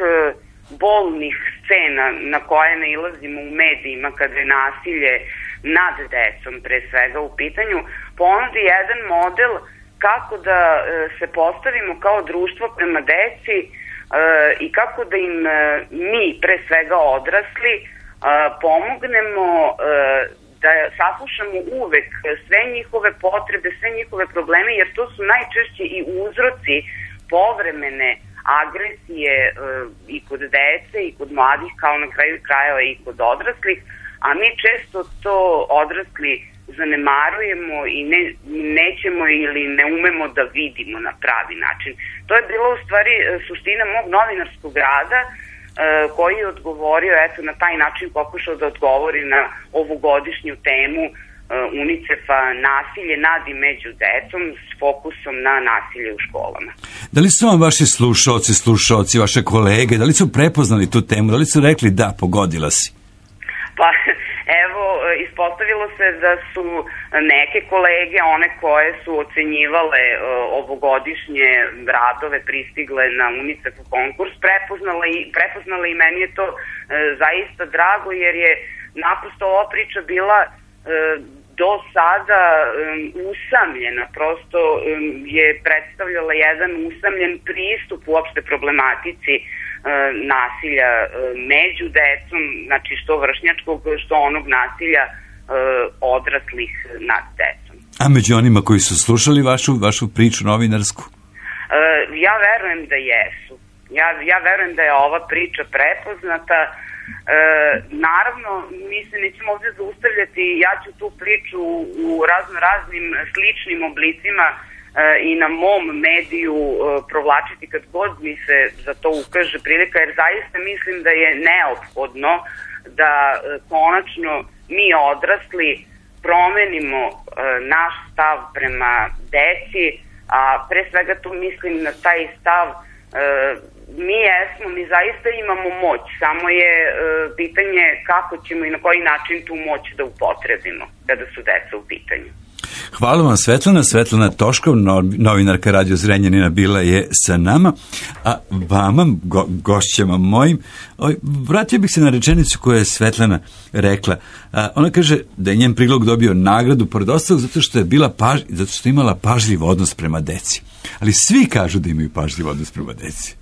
bolnih scena na koje nailazimo u medijima kada je nasilje nad decom pre svega u pitanju, ponudi jedan model kako da se postavimo kao društvo prema deci i kako da im mi, pre svega odrasli, pomognemo da saslušamo uvek sve njihove potrebe, sve njihove probleme, jer to su najčešće i uzroci povremene agresije i kod dece i kod mladih, kao na kraju krajeva i kod odraslih, a mi često to odrasli zanemarujemo i ne, nećemo ili ne umemo da vidimo na pravi način. To je bila u stvari suština mog novinarskog rada, koji je odgovorio, eto, na taj način pokušao da odgovori na ovogodišnju temu UNICEF-a nasilje nad i među decom s fokusom na nasilje u školama. Da li su vam vaši slušalci, slušalci, vaše kolege, da li su prepoznali tu temu, da li su rekli da, pogodila si? Pa, evo, ispostavilo se da su neke kolege, one koje su ocenjivale uh, ovogodišnje radove pristigle na UNICEF konkurs, prepoznale i, prepoznale i meni je to uh, zaista drago, jer je naprosto ova priča bila uh, do sada um, usamljena, prosto um, je predstavljala jedan usamljen pristup uopšte problematici nasilja među decom, znači što vršnjačkog, što onog nasilja odraslih nad decom. A među onima koji su slušali vašu, vašu priču novinarsku? Ja verujem da jesu. Ja, ja verujem da je ova priča prepoznata. E, naravno, mi se nećemo ovdje zaustavljati, ja ću tu priču u razno raznim sličnim oblicima i na mom mediju provlačiti kad god mi se za to ukaže prilika, jer zaista mislim da je neophodno da konačno mi odrasli promenimo naš stav prema deci, a pre svega tu mislim na taj stav mi jesmo, mi zaista imamo moć, samo je pitanje kako ćemo i na koji način tu moć da upotrebimo kada su deca u pitanju. Hvala vam, Svetlana. Svetlana Toškov, novinarka Radio Zrenjanina, bila je sa nama, a vama, go, gošćama mojim, oj, vratio bih se na rečenicu koju je Svetlana rekla. A, ona kaže da je njen prilog dobio nagradu pored ostalog zato što je bila paž, zato što je imala pažljiv odnos prema deci. Ali svi kažu da imaju pažljiv odnos prema deci.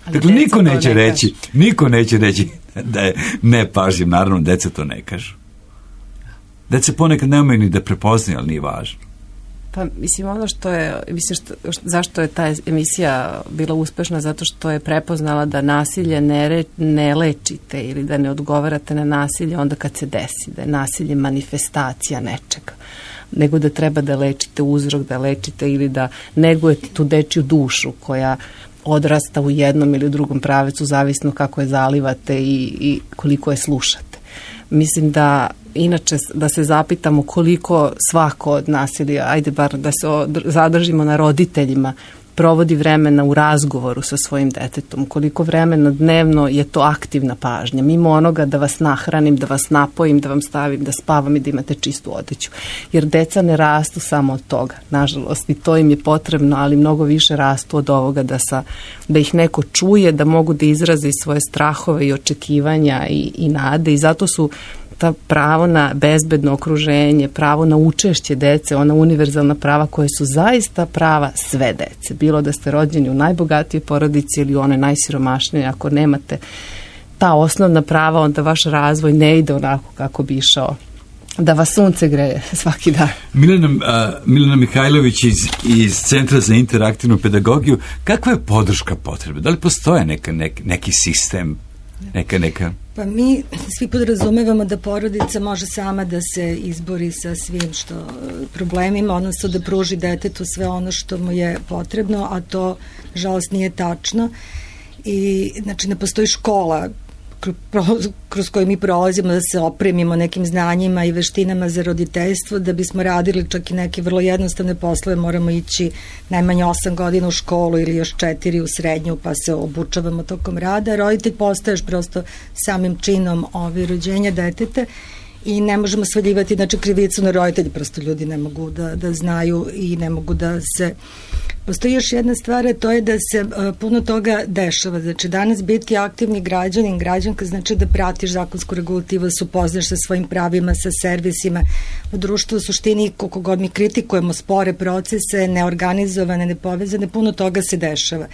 Ali dakle, niko neće ne reći, niko neće reći da je nepažljiv, naravno, deca to ne kažu. Deca ponekad ne umeju ni da prepoznaju, ali nije važno. Pa, mislim, ono što je, mislim, što, što, zašto je ta emisija bila uspešna, zato što je prepoznala da nasilje ne, re, ne lečite ili da ne odgovarate na nasilje onda kad se desi, da je nasilje manifestacija nečega, nego da treba da lečite uzrok, da lečite ili da negujete tu dečju dušu koja odrasta u jednom ili u drugom pravecu, zavisno kako je zalivate i, i koliko je slušate. Mislim da inače da se zapitamo koliko svako od nas, ili ajde bar da se zadržimo na roditeljima, provodi vremena u razgovoru sa svojim detetom, koliko vremena dnevno je to aktivna pažnja, mimo onoga da vas nahranim, da vas napojim, da vam stavim, da spavam i da imate čistu odeću. Jer deca ne rastu samo od toga, nažalost, i to im je potrebno, ali mnogo više rastu od ovoga da, sa, da ih neko čuje, da mogu da izraze svoje strahove i očekivanja i, i nade, i zato su ta pravo na bezbedno okruženje, pravo na učešće dece, ona univerzalna prava koje su zaista prava sve dece. Bilo da ste rođeni u najbogatijoj porodici ili u onoj najsiromašnijoj, ako nemate ta osnovna prava, onda vaš razvoj ne ide onako kako bi išao, da vas sunce greje svaki dan. Milena, uh, Milena Mihajlović iz, iz Centra za interaktivnu pedagogiju, kakva je podrška potrebe? Da li postoje neka, nek, neki sistem, neka, neka... Pa mi svi podrazumevamo da porodica može sama da se izbori sa svim što problemima, odnosno da pruži detetu sve ono što mu je potrebno, a to, žalost, nije tačno. I, znači, ne postoji škola kroz koje mi prolazimo, da se opremimo nekim znanjima i veštinama za roditeljstvo. Da bismo radili čak i neke vrlo jednostavne poslove, moramo ići najmanje osam godina u školu ili još četiri u srednju, pa se obučavamo tokom rada. Roditelj postaješ prosto samim činom ove rođenja deteta i ne možemo svaljivati, znači, krivicu na roditelji, prosto ljudi ne mogu da, da znaju i ne mogu da se... Postoji još jedna stvar, to je da se uh, puno toga dešava. Znači, danas biti aktivni građanin, građanka, znači da pratiš zakonsku regulativu, da se upoznaš sa svojim pravima, sa servisima. U društvu u suštini, koliko god mi kritikujemo spore procese, neorganizovane, nepovezane, puno toga se dešava.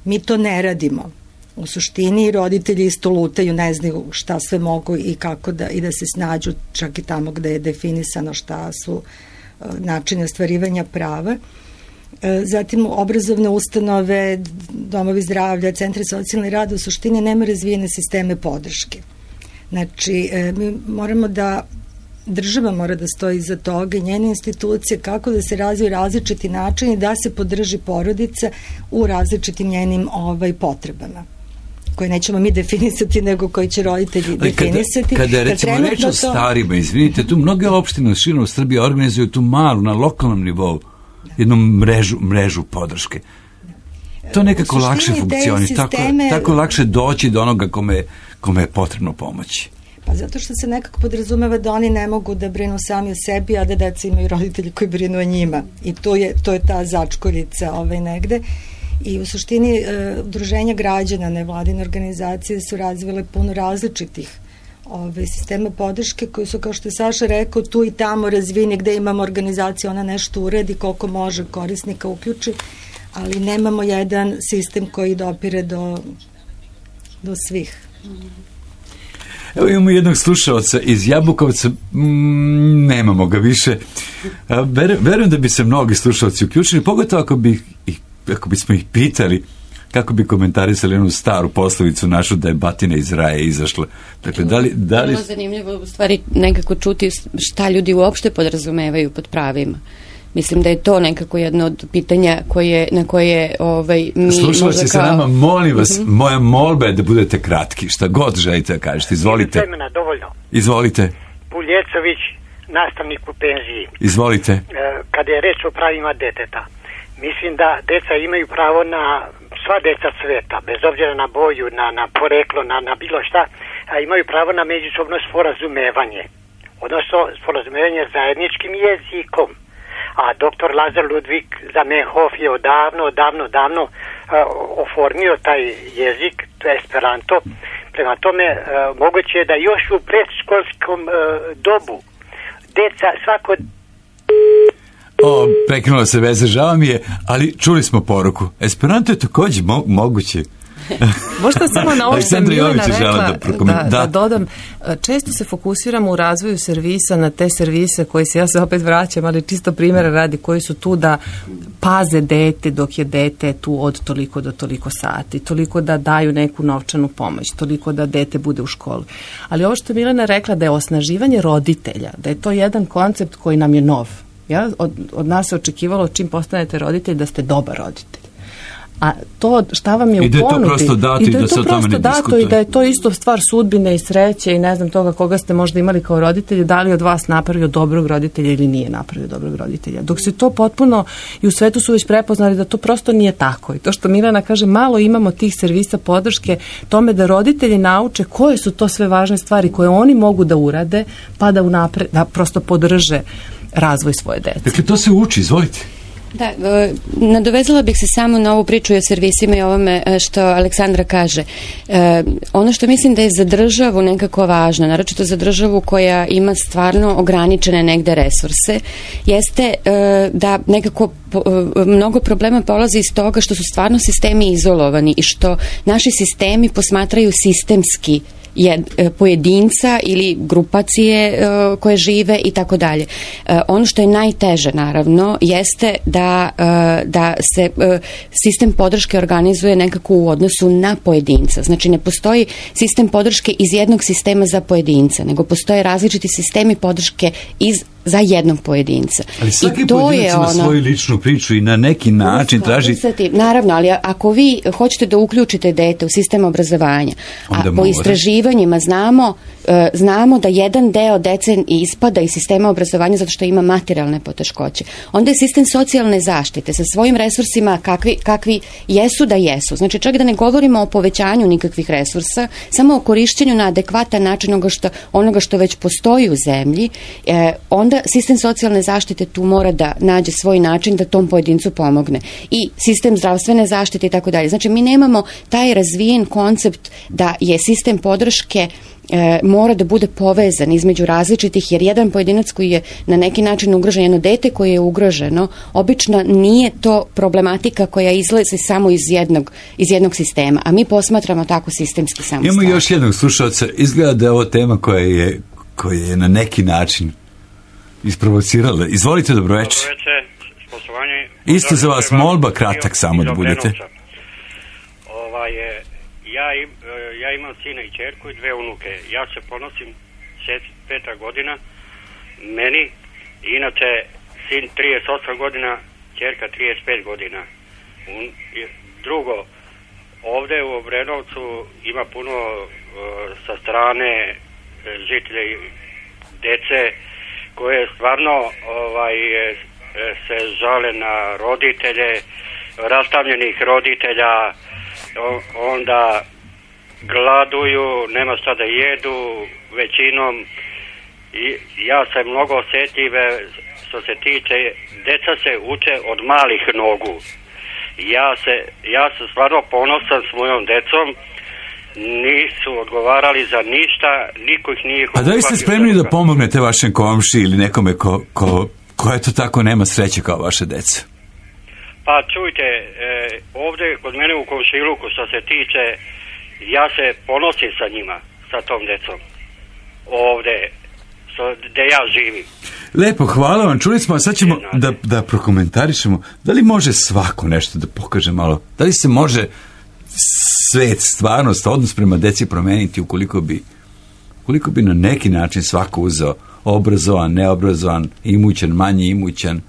Mi to ne radimo. U suštini roditelji isto lutaju, ne znaju šta sve mogu i kako da, i da se snađu čak i tamo gde je definisano šta su uh, načini ostvarivanja prava. Zatim obrazovne ustanove, domovi zdravlja, centri socijalne rada u suštini nema razvijene sisteme podrške. Znači, mi moramo da, država mora da stoji iza toga i njene institucije, kako da se razviju različiti načini da se podrži porodica u različitim njenim ovaj, potrebama, koje nećemo mi definisati, nego koji će roditelji kada, definisati. Kada je recimo reč o to... starima, izvinite, tu mnoge opštine širom Srbije organizuju tu malu, na lokalnom nivou, jednu mrežu, mrežu podrške. To nekako lakše funkcioni, sisteme... tako, tako lakše doći do onoga kome, kome je potrebno pomoći. Pa zato što se nekako podrazumeva da oni ne mogu da brinu sami o sebi, a da deca imaju roditelji koji brinu o njima. I to je, to je ta začkoljica ovaj negde. I u suštini e, udruženja građana, nevladine organizacije su razvile puno različitih ove sistema podrške koji su, kao što je Saša rekao, tu i tamo razvini gde imamo organizaciju, ona nešto uredi koliko može korisnika uključi, ali nemamo jedan sistem koji dopire do, do svih. Evo imamo jednog slušalca iz Jabukovca, mm, nemamo ga više. Ver, verujem da bi se mnogi slušalci uključili, pogotovo ako, bi, ako bismo ih pitali kako bi komentarisali onu staru poslovicu našu da je batina iz raja izašla. Dakle, da li... Da li... Bilo zanimljivo u stvari nekako čuti šta ljudi uopšte podrazumevaju pod pravima. Mislim da je to nekako jedno od pitanja koje, na koje ovaj, mi... Slušalci kao... se nama, molim vas, uh-huh. moja molba je da budete kratki. Šta god želite da kažete, izvolite. Vremena, dovoljno. Izvolite. Puljecović, nastavnik u penziji. Izvolite. E, kada je reč o pravima deteta, mislim da deca imaju pravo na... sva deca sveta, bez obzira na boju, na, na poreklo, na, na bilo šta, a imaju pravo na međusobno sporazumevanje. Odnosno, sporazumevanje zajedničkim jezikom. A doktor Lazar Ludvig Zamenhof je odavno, odavno, odavno uh, oformio taj jezik, to je Esperanto. Prema tome, uh, moguće je da još u predškolskom uh, dobu deca svako... O, prekinula se veza, žao mi je, ali čuli smo poruku. Esperanto je također mo- moguće. Možda samo na ovo što je Milena rekla, da, da, da dodam, često se fokusiramo u razvoju servisa na te servise koji se, ja se opet vraćam, ali čisto primjera radi, koji su tu da paze dete dok je dete tu od toliko do toliko sati, toliko da daju neku novčanu pomoć, toliko da dete bude u školi. Ali ovo što je Milena rekla da je osnaživanje roditelja, da je to jedan koncept koji nam je nov. Ja, od, od nas se očekivalo čim postanete roditelj da ste dobar roditelj. A to šta vam je u ponudi... I da je to prosto dato i da, da se o tome ne diskutuje. I da je to isto stvar sudbine i sreće i ne znam toga koga ste možda imali kao roditelji, da li od vas napravio dobrog roditelja ili nije napravio dobrog roditelja. Dok se to potpuno, i u svetu su već prepoznali da to prosto nije tako. I to što Milena kaže, malo imamo tih servisa podrške tome da roditelji nauče koje su to sve važne stvari koje oni mogu da urade, pa da, unapre, da prosto podrže razvoj svoje dece. Dakle, to se uči, izvolite. Da, nadovezala bih se samo na ovu priču o servisima i ovome što Aleksandra kaže. E, ono što mislim da je za državu nekako važno, naročito za državu koja ima stvarno ograničene negde resurse, jeste e, da nekako po, e, mnogo problema polazi iz toga što su stvarno sistemi izolovani i što naši sistemi posmatraju sistemski Jed, pojedinca ili grupacije e, koje žive i tako dalje. E, ono što je najteže naravno jeste da, e, da se e, sistem podrške organizuje nekako u odnosu na pojedinca. Znači ne postoji sistem podrške iz jednog sistema za pojedinca, nego postoje različiti sistemi podrške iz za jednog pojedinca. Ali svaki I to pojedinac je ima ono, svoju ličnu priču i na neki način traži... Naravno, ali ako vi hoćete da uključite dete u sistem obrazovanja, a Onda po mora. istraživanjima znamo, e, znamo da jedan deo dece ispada iz sistema obrazovanja zato što ima materijalne poteškoće. Onda je sistem socijalne zaštite sa svojim resursima kakvi, kakvi jesu da jesu. Znači, čak da ne govorimo o povećanju nikakvih resursa, samo o korišćenju na adekvatan način onoga što, onoga što već postoji u zemlji, e, onda sistem socijalne zaštite tu mora da nađe svoj način da tom pojedincu pomogne. I sistem zdravstvene zaštite i tako dalje. Znači, mi nemamo taj razvijen koncept da je sistem podrške e, mora da bude povezan između različitih, jer jedan pojedinac koji je na neki način ugrožen, jedno dete koje je ugroženo, obično nije to problematika koja izlazi samo iz jednog, iz jednog sistema, a mi posmatramo tako sistemski samo. Imamo još jednog slušalca. Izgleda da je ovo tema koja je, koja je na neki način isprovocirala. Izvolite, dobro večer. Dobro večer, poštovanje. Isto za vas molba, kratak samo da budete. Ovaj, ja, im, ja imam sina i ćerku i dve unuke. Ja se ponosim šezdeset peta godina. Meni, inače, sin trideset osam godina, ćerka trideset pet godina. Un, drugo, ovde u Obrenovcu ima puno uh, sa strane uh, žitelja i dece koje stvarno ovaj, se žale na roditelje, rastavljenih roditelja, onda gladuju, nema šta da jedu većinom. I ja sam mnogo osjetljive što se tiče, deca se uče od malih nogu. Ja se, ja sam stvarno ponosan s mojom decom, nisu odgovarali za ništa, niko ih nije... A da li ste spremni da pomognete vašem komši ili nekome ko, ko, ko je to tako nema sreće kao vaše deca? Pa čujte, e, ovde kod mene u komšiluku što se tiče, ja se ponosim sa njima, sa tom decom. Ovde, što, gde ja živim. Lepo, hvala vam. Čuli smo, a sad ćemo da, da prokomentarišemo. Da li može svako nešto da pokaže malo? Da li se može svet, stvarnost, odnos prema deci promeniti ukoliko bi, ukoliko bi na neki način svako uzeo obrazovan, neobrazovan, imućan, manje imućan,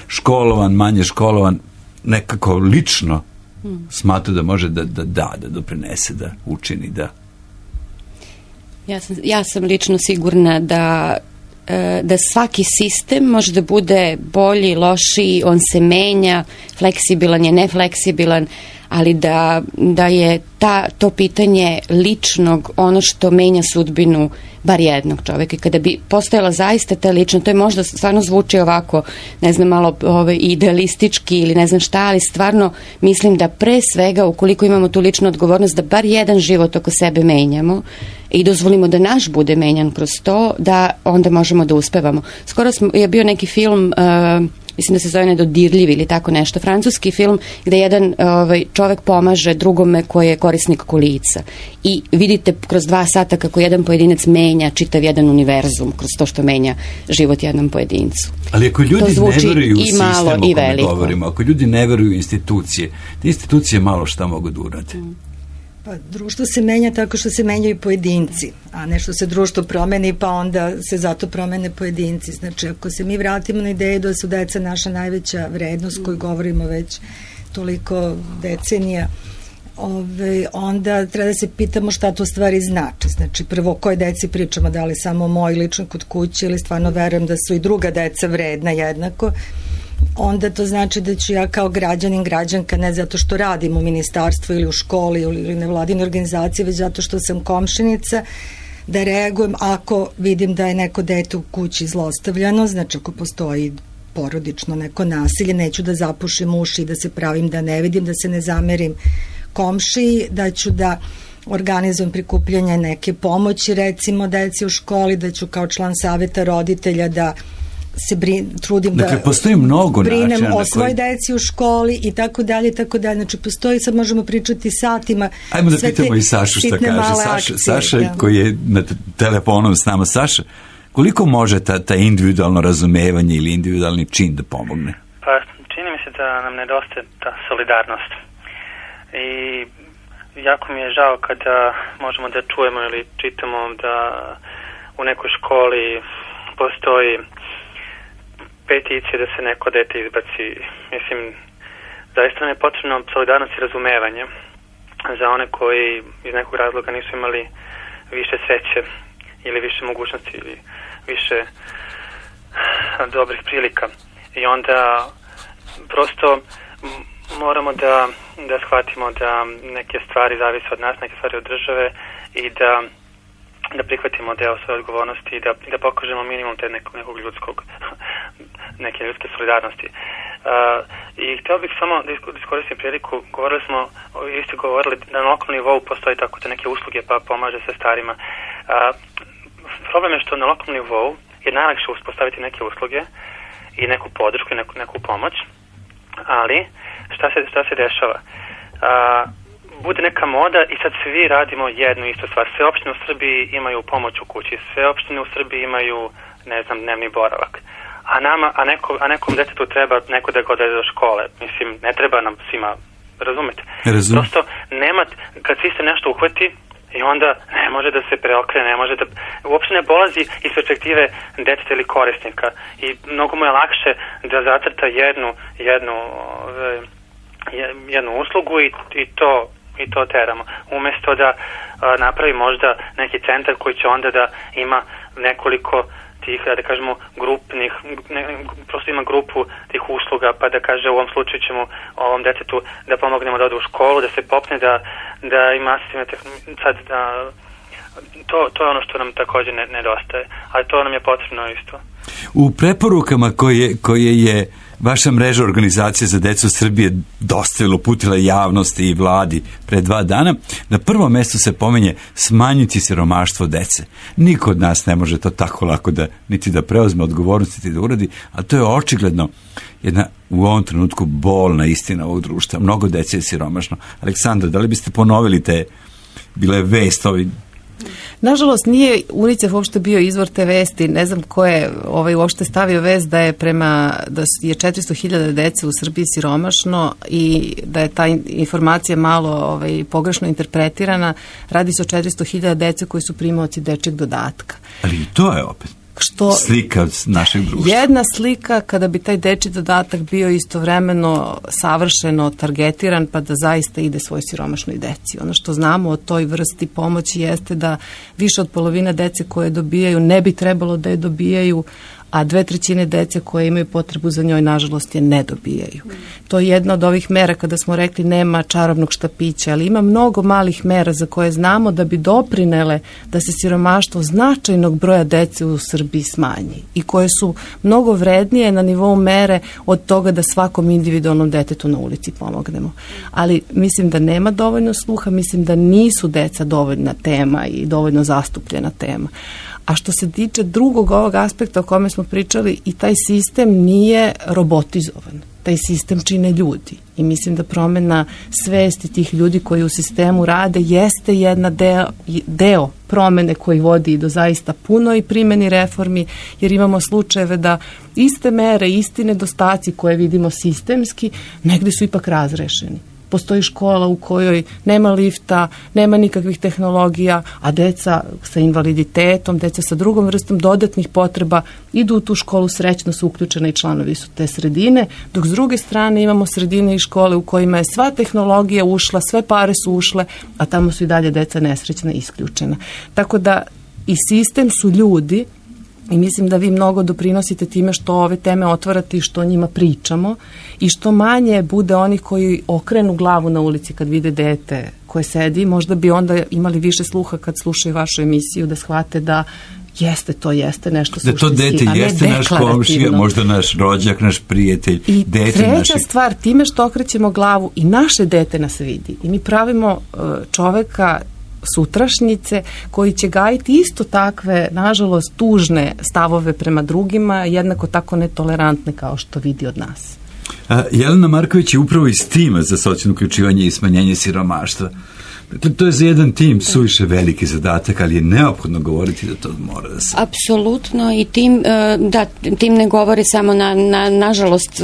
školovan, manje školovan, nekako lično hmm. smatra da može da da, da, da doprinese, da učini, da... Ja sam, ja sam lično sigurna da da svaki sistem može da bude bolji, lošiji, on se menja, fleksibilan je, nefleksibilan, ali da, da je ta, to pitanje ličnog ono što menja sudbinu bar jednog čoveka. I kada bi postojala zaista ta lična, to je možda stvarno zvuči ovako, ne znam, malo ovaj, idealistički ili ne znam šta, ali stvarno mislim da pre svega, ukoliko imamo tu ličnu odgovornost, da bar jedan život oko sebe menjamo i dozvolimo da naš bude menjan kroz to, da onda možemo da uspevamo. Skoro smo, je bio neki film... Uh, mislim da se zove Nedodirljivi ili tako nešto, francuski film gde jedan ovaj, čovek pomaže drugome koji je korisnik kolica i vidite kroz dva sata kako jedan pojedinac menja čitav jedan univerzum kroz to što menja život jednom pojedincu. Ali ako ljudi ne veruju u i sistem malo, o i kome veliko. govorimo, ako ljudi ne veruju u institucije, te institucije malo šta mogu da urade. Mm. Pa društvo se menja tako što se menjaju pojedinci, a nešto se društvo promeni pa onda se zato promene pojedinci. Znači ako se mi vratimo na ideju da su deca naša najveća vrednost koju govorimo već toliko decenija, ove, onda treba da se pitamo šta to stvari znači. Znači prvo koje deci pričamo, da li samo moj lično kod kuće ili stvarno verujem da su i druga deca vredna jednako, onda to znači da ću ja kao građanin, građanka, ne zato što radim u ministarstvu ili u školi ili nevladine organizacije, već zato što sam komšinica, da reagujem ako vidim da je neko dete u kući zlostavljano, znači ako postoji porodično neko nasilje, neću da zapušim uši i da se pravim da ne vidim, da se ne zamerim komšiji, da ću da organizujem prikupljanje neke pomoći, recimo deci u školi, da ću kao član saveta roditelja da se brin, trudim dakle, da postoji mnogo brinem o koji... svoj deci u školi i tako dalje i tako dalje. Znači postoji, sad možemo pričati satima. Ajmo da pitamo i Sašu šta kaže. Saša, akcije, Saša da. koji je na telefonom s nama. Saša, koliko može ta, ta individualno razumevanje ili individualni čin da pomogne? Pa čini mi se da nam nedostaje ta solidarnost. I jako mi je žao kada možemo da čujemo ili čitamo da u nekoj školi postoji peticije da se neko dete izbaci. Mislim, zaista nam je potrebno solidarnost i razumevanje za one koji iz nekog razloga nisu imali više sreće ili više mogućnosti ili više dobrih prilika. I onda prosto moramo da, da shvatimo da neke stvari zavise od nas, neke stvari od države i da, da prihvatimo deo svoje odgovornosti i da, da pokažemo minimum te nekog, nekog ljudskog, neke ljudske solidarnosti. Uh, I htio bih samo da iskoristim priliku, govorili smo, vi ste govorili da na lokalnom nivou postoji tako te neke usluge pa pomaže se starima. Uh, problem je što na lokalnom nivou je najlakše uspostaviti neke usluge i neku podršku i neku, neku pomoć, ali šta se, šta se dešava? Uh, bude neka moda i sad svi radimo jednu istu stvar. Sve opštine u Srbiji imaju pomoć u kući, sve opštine u Srbiji imaju, ne znam, dnevni boravak. A nama, a, neko, a nekom detetu treba neko da ga odvede do škole. Mislim, ne treba nam svima, razumete? Razum. Prosto, nema, kad svi se nešto uhvati, i onda ne može da se preokrene, ne može da, uopšte ne polazi iz perspektive deteta ili korisnika. I mnogo mu je lakše da zacrta jednu, jednu, jednu uslugu i, i to i to teramo. Umesto da a, napravi možda neki centar koji će onda da ima nekoliko tih, da kažemo, grupnih, ne, prosto ima grupu tih usluga, pa da kaže u ovom slučaju ćemo ovom detetu da pomognemo da ode u školu, da se popne, da, da ima asistivne tehnologije, sad da, to, to je ono što nam također ne, nedostaje, ali to nam je potrebno isto. U preporukama koje, koje je vaša mreža organizacije za decu Srbije dostavila, uputila javnosti i vladi pre dva dana, na prvom mjestu se pomenje smanjiti siromaštvo dece. Niko od nas ne može to tako lako da niti da preuzme odgovornost niti da uradi, a to je očigledno jedna u ovom trenutku bolna istina ovog društva. Mnogo dece je siromašno. Aleksandra, da li biste ponovili te, bila je vest ovi. Nažalost, nije UNICEF uopšte bio izvor te vesti, ne znam ko je ovaj, uopšte stavio vest da je prema, da je četiristo hiljada dece u Srbiji siromašno i da je ta informacija malo ovaj, pogrešno interpretirana. Radi se o četiristo hiljada dece koji su primaoci dečjeg dodatka. Ali i to je opet što slika našeg društva. Jedna slika kada bi taj dečji dodatak bio istovremeno savršeno targetiran pa da zaista ide svoj siromašnoj deci. Ono što znamo o toj vrsti pomoći jeste da više od polovine dece koje dobijaju ne bi trebalo da je dobijaju, a dve trećine dece koje imaju potrebu za njoj, nažalost, je ne dobijaju. To je jedna od ovih mera kada smo rekli nema čarobnog štapića, ali ima mnogo malih mera za koje znamo da bi doprinele da se siromaštvo značajnog broja dece u Srbiji smanji i koje su mnogo vrednije na nivou mere od toga da svakom individualnom detetu na ulici pomognemo. Ali mislim da nema dovoljno sluha, mislim da nisu deca dovoljna tema i dovoljno zastupljena tema. A što se tiče drugog ovog aspekta o kome smo pričali, i taj sistem nije robotizovan. Taj sistem čine ljudi. I mislim da promjena svesti tih ljudi koji u sistemu rade jeste jedna deo, deo promjene koji vodi do zaista puno i primjeni reformi, jer imamo slučajeve da iste mere, isti nedostaci koje vidimo sistemski, negdje su ipak razrešeni. Postoji škola u kojoj nema lifta, nema nikakvih tehnologija, a deca sa invaliditetom, deca sa drugom vrstom dodatnih potreba idu u tu školu, srećno su uključene i članovi su te sredine, dok s druge strane imamo sredine i škole u kojima je sva tehnologija ušla, sve pare su ušle, a tamo su i dalje deca nesrećna i isključena. Tako da i sistem su ljudi. I mislim da vi mnogo doprinosite time što ove teme otvarate i što o njima pričamo i što manje bude onih koji okrenu glavu na ulici kad vide dete koje sedi, možda bi onda imali više sluha kad slušaju vašu emisiju da shvate da jeste, to jeste nešto suštinski, da to dete jeste naš komšija, možda naš rođak, naš prijatelj. I dete treća naši... stvar, time što okrećemo glavu i naše dete nas vidi i mi pravimo uh, čoveka sutrašnjice koji će gajiti isto takve, nažalost, tužne stavove prema drugima, jednako tako netolerantne kao što vidi od nas. A, Jelena Marković je upravo iz tima za socijalno uključivanje i smanjenje siromaštva. Dakle, to je za jedan tim suviše veliki zadatak, ali je neophodno govoriti da to mora da se... Apsolutno, i tim, da, tim ne govori samo na, na, nažalost,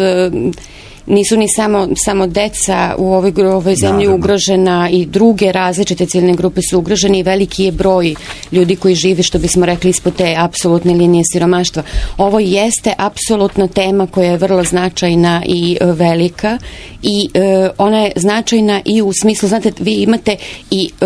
nisu ni samo, samo deca u ovoj, ovoj zemlji Naravno. ugrožena, i druge različite ciljne grupe su ugrožene i veliki je broj ljudi koji žive, što bismo rekli, ispod te apsolutne linije siromaštva. Ovo jeste apsolutno tema koja je vrlo značajna i velika, i e, ona je značajna i u smislu, znate, vi imate i e,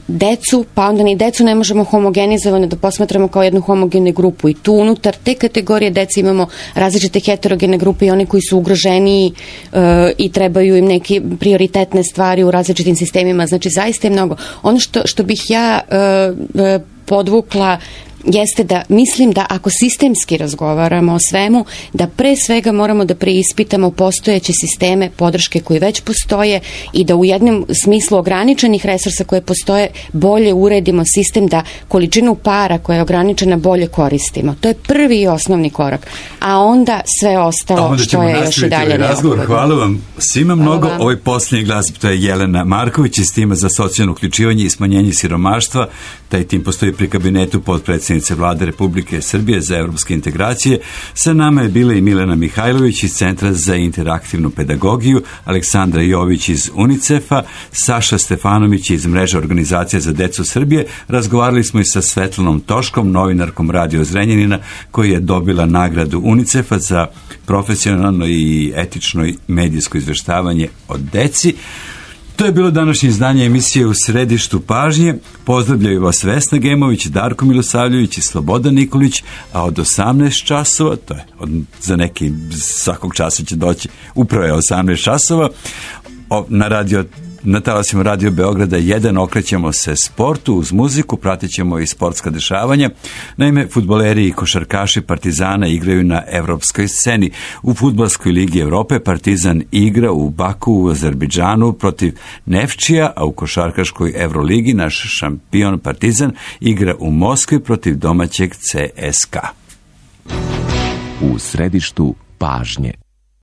decu, pa onda ni decu ne možemo homogenizovano da posmatramo kao jednu homogenu grupu, i tu unutar te kategorije dece imamo različite heterogene grupe i one koji su ugroženiji e, i trebaju im neke prioritetne stvari u različitim sistemima. Znači, zaista je mnogo. Ono što, što bih ja e, e, podvukla jeste da mislim da ako sistemski razgovaramo o svemu, da pre svega moramo da preispitamo postojeće sisteme podrške koji već postoje i da u jednom smislu ograničenih resursa koje postoje bolje uredimo sistem, da količinu para koja je ograničena bolje koristimo. To je prvi i osnovni korak. A onda sve ostalo onda što je još i dalje neophodno. Hvala vam svima mnogo. Ovaj posljednji glas, to je Jelena Marković iz tima za socijalno uključivanje i smanjenje siromaštva. Taj tim postoji pri kabinetu potpredsjednice Vlade Republike Srbije za evropske integracije. Sa nama je bila i Milena Mihajlović iz Centra za interaktivnu pedagogiju, Aleksandra Jović iz UNICEF-a, Saša Stefanović iz Mreže organizacija za decu Srbije. Razgovarali smo i sa Svetlanom Toškom, novinarkom Radio Zrenjanina, koji je dobila nagradu UNICEF-a za profesionalno i etično medijsko izveštavanje o deci. To je bilo današnje izdanje emisije U središtu pažnje. Pozdravljaju vas Vesna Gemović, Darko Milosavljević i Slobodan Nikolić, a od osamnaest časova, to je od, za neki svakog časa će doći, upravo je osamnaest časova, o, na radio Na talasima Radio Beograda jedan okrećemo se sportu uz muziku, pratit ćemo i sportska dešavanja. Naime, fudbaleri i košarkaši Partizana igraju na evropskoj sceni. U fudbalskoj ligi Evrope Partizan igra u Baku u Azerbejdžanu protiv Nefčija, a u košarkaškoj Evroligi naš šampion Partizan igra u Moskvi protiv domaćeg C S K A. U središtu pažnje.